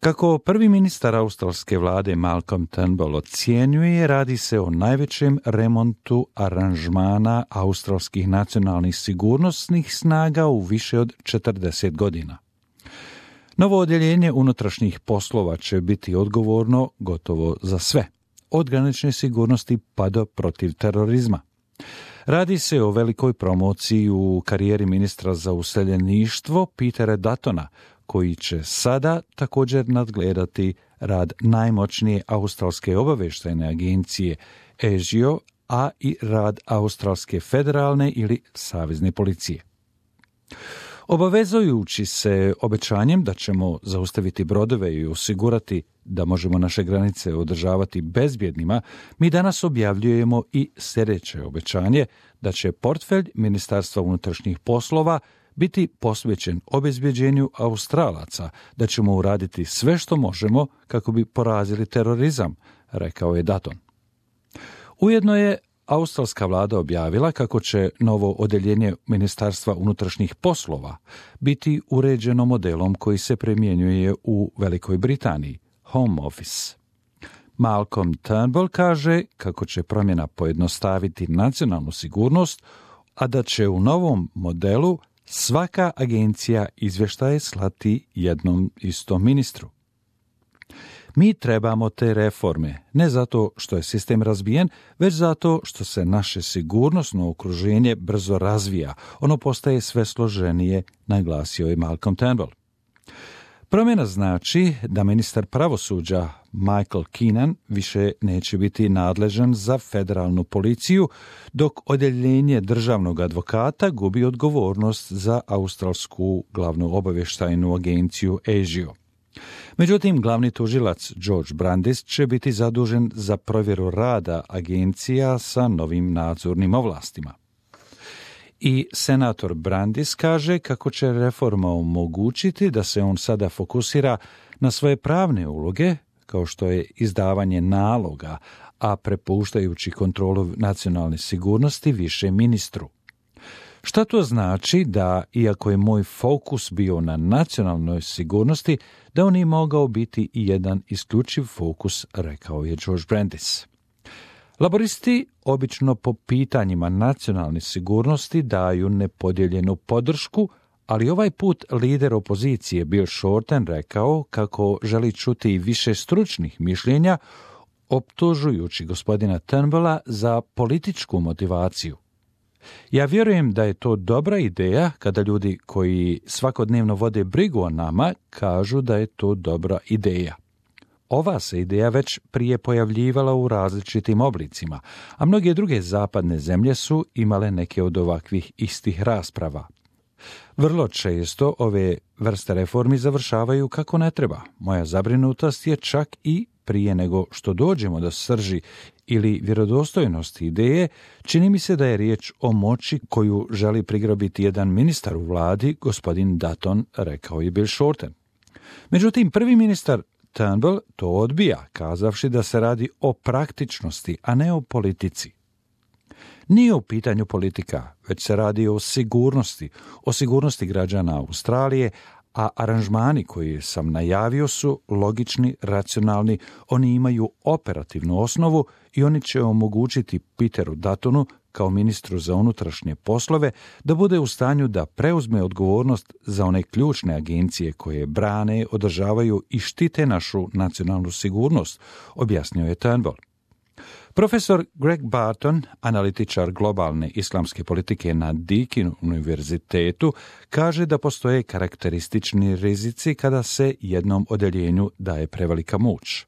Kako prvi ministar australske vlade Malcolm Turnbull ocjenjuje, radi se o najvećem remontu aranžmana australskih nacionalnih sigurnosnih snaga u više od 40 godina. Novo odjeljenje unutrašnjih poslova će biti odgovorno gotovo za sve, od granične sigurnosti pa do protiv terorizma. Radi se o velikoj promociji u karijeri ministra za useljeništvo Petera Duttona, koji će sada također nadgledati rad najmoćnije australske obavještajne agencije ASIO, a i rad australske federalne ili savezne policije. Obavezujući se obećanjem da ćemo zaustaviti brodove i osigurati da možemo naše granice održavati bezbjednima, mi danas objavljujemo i sljedeće obećanje da će portfelj Ministarstva unutrašnjih poslova biti posvećen obezbjeđenju Australaca, da ćemo uraditi sve što možemo kako bi porazili terorizam, rekao je Dutton. Ujedno je australska vlada objavila kako će novo odjeljenje Ministarstva unutrašnjih poslova biti uređeno modelom koji se primjenjuje u Velikoj Britaniji, Home Office. Malcolm Turnbull kaže kako će promjena pojednostaviti nacionalnu sigurnost, a da će u novom modelu svaka agencija izvještaje slati jednom istom ministru. Mi trebamo te reforme, ne zato što je sistem razbijen, već zato što se naše sigurnosno okruženje brzo razvija. Ono postaje sve složenije, naglasio je Malcolm Turnbull. Promjena znači da ministar pravosuđa Michael Keenan više neće biti nadležan za federalnu policiju, dok odjeljenje državnog advokata gubi odgovornost za australsku glavnu obavještajnu agenciju ASIO. Međutim, glavni tužilac George Brandis će biti zadužen za provjeru rada agencija sa novim nadzornim ovlastima. I senator Brandis kaže kako će reforma omogućiti da se on sada fokusira na svoje pravne uloge, kao što je izdavanje naloga, a prepuštajući kontrolu nacionalne sigurnosti više ministru. Šta to znači da, iako je moj fokus bio na nacionalnoj sigurnosti, da on je mogao biti i jedan isključiv fokus, rekao je George Brandis. Laboristi obično po pitanjima nacionalne sigurnosti daju nepodijeljenu podršku, ali ovaj put lider opozicije Bill Shorten rekao kako želi čuti i više stručnih mišljenja, optužujući gospodina Turnbulla za političku motivaciju. Ja vjerujem da je to dobra ideja kada ljudi koji svakodnevno vode brigu o nama kažu da je to dobra ideja. Ova se ideja već prije pojavljivala u različitim oblicima, a mnoge druge zapadne zemlje su imale neke od ovakvih istih rasprava. Vrlo često ove vrste reformi završavaju kako ne treba. Moja zabrinutost je čak i prije nego što dođemo do srži ili vjerodostojnosti ideje, čini mi se da je riječ o moći koju želi prigrabiti jedan ministar u vladi, gospodin Dutton, rekao je Bill Shorten. Međutim, prvi ministar Turnbull to odbija, kazavši da se radi o praktičnosti, a ne o politici. Nije u pitanju politika, već se radi o sigurnosti građana Australije, a aranžmani koje sam najavio su logični, racionalni, oni imaju operativnu osnovu i oni će omogućiti Peteru Duttonu, kao ministru za unutrašnje poslove, da bude u stanju da preuzme odgovornost za one ključne agencije koje brane, održavaju i štite našu nacionalnu sigurnost, objasnio je Turnbull. Profesor Greg Barton, analitičar globalne islamske politike na Deakin univerzitetu, kaže da postoje karakteristični rizici kada se jednom odjeljenju daje prevelika moć.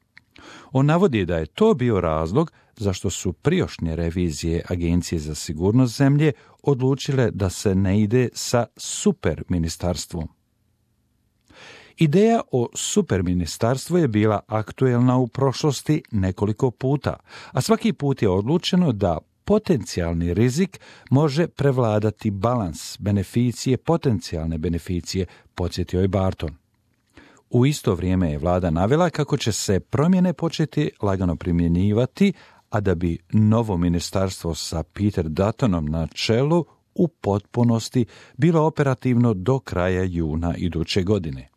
On navodi da je to bio razlog zašto su prijašnje revizije Agencije za sigurnost zemlje odlučile da se ne ide sa superministarstvom. Ideja o superministarstvu je bila aktuelna u prošlosti nekoliko puta, a svaki put je odlučeno da potencijalni rizik može prevladati balans potencijalne beneficije, podsjetio je Barton. U isto vrijeme je vlada navela kako će se promjene početi lagano primjenjivati, a da bi novo ministarstvo sa Peter Duttonom na čelu u potpunosti bilo operativno do kraja juna iduće godine.